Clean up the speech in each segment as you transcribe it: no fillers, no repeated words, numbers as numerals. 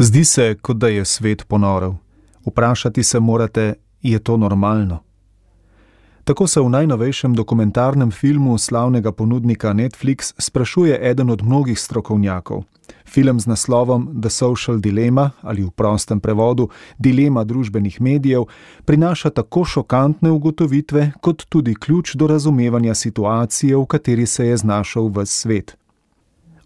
Zdi se, kot da je svet ponorel. Vprašati se morate, je to normalno? Tako se v najnovejšem dokumentarnem filmu slavnega ponudnika Netflix sprašuje eden od mnogih strokovnjakov. Film z naslovom The Social Dilemma, ali v prostem prevodu Dilema družbenih medijev, prinaša tako šokantne ugotovitve, kot tudi ključ do razumevanja situacije, v kateri se je znašel ves svet.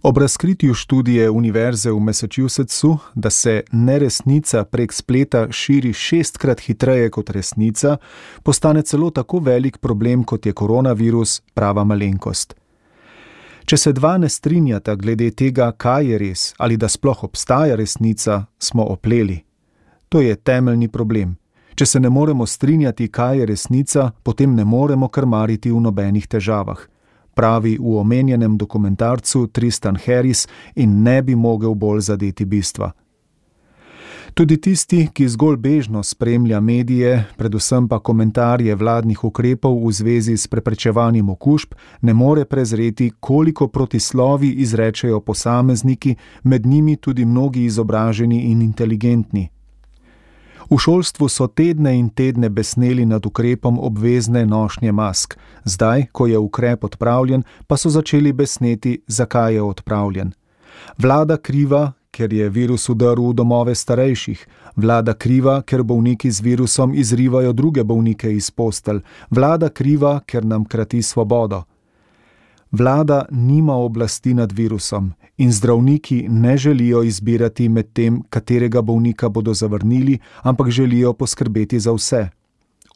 Ob razkritju študije Univerze v Massachusettsu, da se neresnica prek spleta širi 6-krat hitreje kot resnica, postane celo tako velik problem, kot je koronavirus, prava malenkost. Če se dva ne strinjata glede tega, kaj je res ali da sploh obstaja resnica, smo opleli. To je temeljni problem. Če se ne moremo strinjati, kaj je resnica, potem ne moremo krmariti v nobenih težavah, pravi v omenjenem dokumentarcu Tristan Harris in ne bi mogel bolj zadeti bistva. Tudi tisti, ki zgolj bežno spremlja medije, predvsem pa komentarje vladnih ukrepov v zvezi s preprečevanjem okužb, ne more prezreti, koliko protislovi izrečejo posamezniki, med njimi tudi mnogi izobraženi in inteligentni. V šolstvu so tedne in tedne besneli nad ukrepom obvezne nošnje mask. Zdaj, ko je ukrep odpravljen, pa so začeli besneti, zakaj je odpravljen. Vlada kriva, ker je virus vdrl v domove starejših. Vlada kriva, ker bolniki z virusom izrivajo druge bolnike iz postelj. Vlada kriva, ker nam krati svobodo. Vlada nima oblasti nad virusom in zdravniki ne želijo izbirati med tem, katerega bolnika bodo zavrnili, ampak želijo poskrbeti za vse.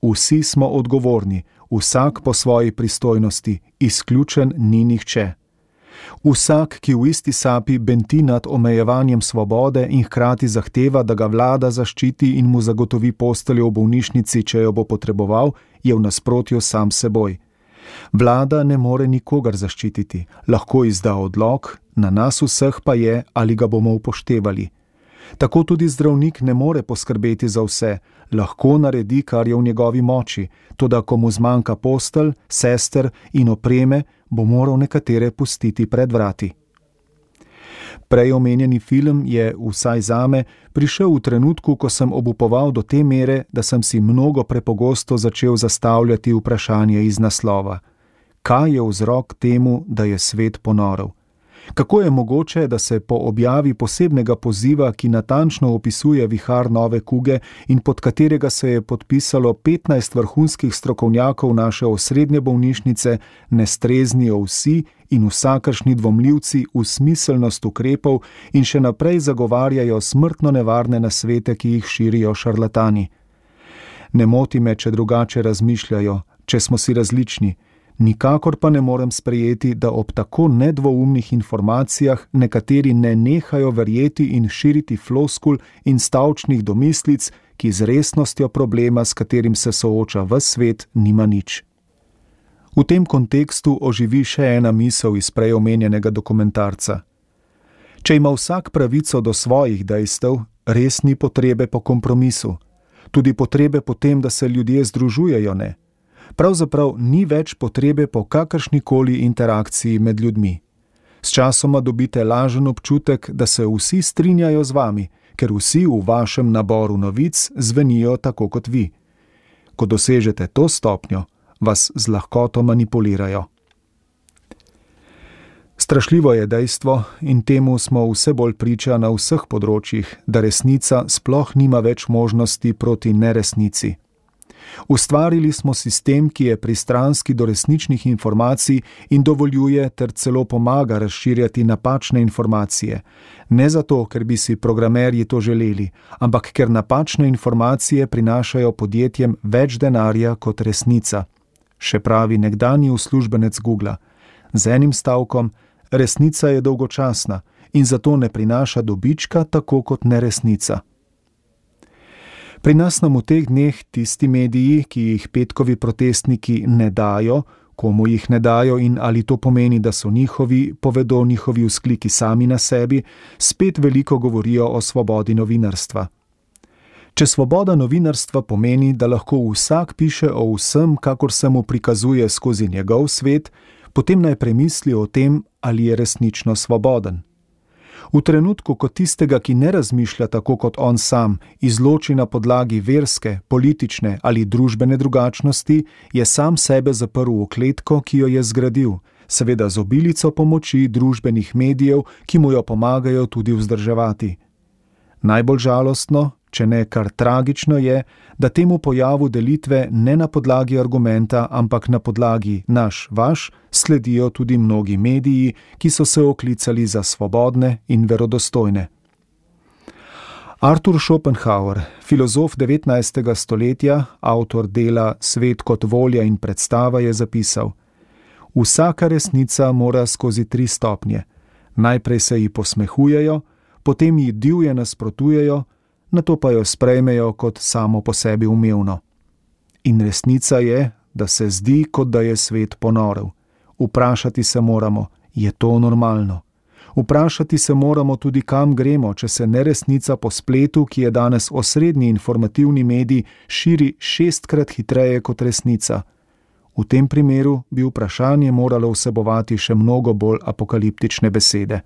Vsi smo odgovorni, vsak po svoji pristojnosti, izključen ni nihče. Vsak, ki v isti sapi benti nad omejevanjem svobode in hkrati zahteva, da ga vlada zaščiti in mu zagotovi posteljo v bolnišnici, če jo bo potreboval, je v nasprotju sam seboj. Vlada ne more nikogar zaščititi, lahko izda odlok, na nas vseh pa je, ali ga bomo upoštevali. Tako tudi zdravnik ne more poskrbeti za vse, lahko naredi, kar je v njegovi moči, toda ko mu zmanjka postelj, sester in opreme, bo moral nekatere pustiti pred vrati. Prej omenjeni film je, vsaj zame, prišel v trenutku, ko sem obupoval do te mere, da sem si mnogo prepogosto začel zastavljati vprašanje iz naslova. Kaj je vzrok temu, da je svet ponorel? Kako je mogoče, da se po objavi posebnega poziva, ki natančno opisuje vihar nove kuge in pod katerega se je podpisalo 15 vrhunskih strokovnjakov naše osrednje bolnišnice, ne streznijo vsi in vsakršni dvomljivci v smiselnost ukrepov in še naprej zagovarjajo smrtno nevarne nasvete, ki jih širijo šarlatani? Ne moti me, če drugače razmišljajo, če smo si različni. Nikakor pa ne morem sprejeti, da ob tako nedvoumnih informacijah nekateri ne nehajo verjeti in širiti floskul in stavčnih domislic, ki z resnostjo problema, s katerim se sooča ves svet, nima nič. V tem kontekstu oživi še ena misel iz prej omenjenega dokumentarca. Če ima vsak pravico do svojih dejstev, res ni potrebe po kompromisu. Tudi potrebe po tem, da se ljudje združujejo, ne. Pravzaprav ni več potrebe po kakršnikoli interakciji med ljudmi. Sčasoma dobite lažen občutek, da se vsi strinjajo z vami, ker vsi v vašem naboru novic zvenijo tako kot vi. Ko dosežete to stopnjo, vas z lahkoto manipulirajo. Strašljivo je dejstvo, in temu smo vse bolj priča na vseh področjih, da resnica sploh nima več možnosti proti neresnici. Ustvarili smo sistem, ki je pristranski do resničnih informacij in dovoljuje ter celo pomaga razširjati napačne informacije. Ne zato, ker bi si programerji to želeli, ampak ker napačne informacije prinašajo podjetjem več denarja kot resnica. Še pravi nekdanji uslužbenec Googla. Z enim stavkom, resnica je dolgočasna in zato ne prinaša dobička tako kot neresnica. Pri nas nam v teh dneh tisti mediji, ki jih petkovi protestniki ne dajo, komu jih ne dajo in ali to pomeni, da so njihovi, povedo njihovi vzkliki sami na sebi, spet veliko govorijo o svobodi novinarstva. Če svoboda novinarstva pomeni, da lahko vsak piše o vsem, kakor se mu prikazuje skozi njegov svet, potem naj premisli o tem, ali je resnično svoboden. V trenutku, ko tistega, ki ne razmišlja tako kot on sam, izloči na podlagi verske, politične ali družbene drugačnosti, je sam sebe zaprl v kletko, ki jo je zgradil, seveda z obilico pomoči družbenih medijev, ki mu jo pomagajo tudi vzdrževati. Najbolj žalostno, če ne kar tragično je, da temu pojavu delitve ne na podlagi argumenta, ampak na podlagi naš-vaš sledijo tudi mnogi mediji, ki so se oklicali za svobodne in verodostojne. Arthur Schopenhauer, filozof 19. stoletja, avtor dela Svet kot volja in predstava, je zapisal: Vsaka resnica mora skozi 3 stopnje. Najprej se ji posmehujejo, potem ji divje nasprotujejo, nato pa jo sprejmejo kot samo po sebi umevno. In resnica je, da se zdi, kot da je svet ponorel. Vprašati se moramo, je to normalno? Vprašati se moramo tudi, kam gremo, če se neresnica po spletu, ki je danes osrednji informativni medij, širi 6-krat hitreje kot resnica. V tem primeru bi vprašanje moralo vsebovati še mnogo bolj apokaliptične besede.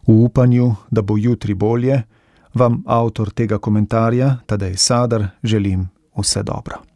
V upanju, da bo jutri bolje, vam avtor tega komentarja, Tadej Sadar, želim vse dobro.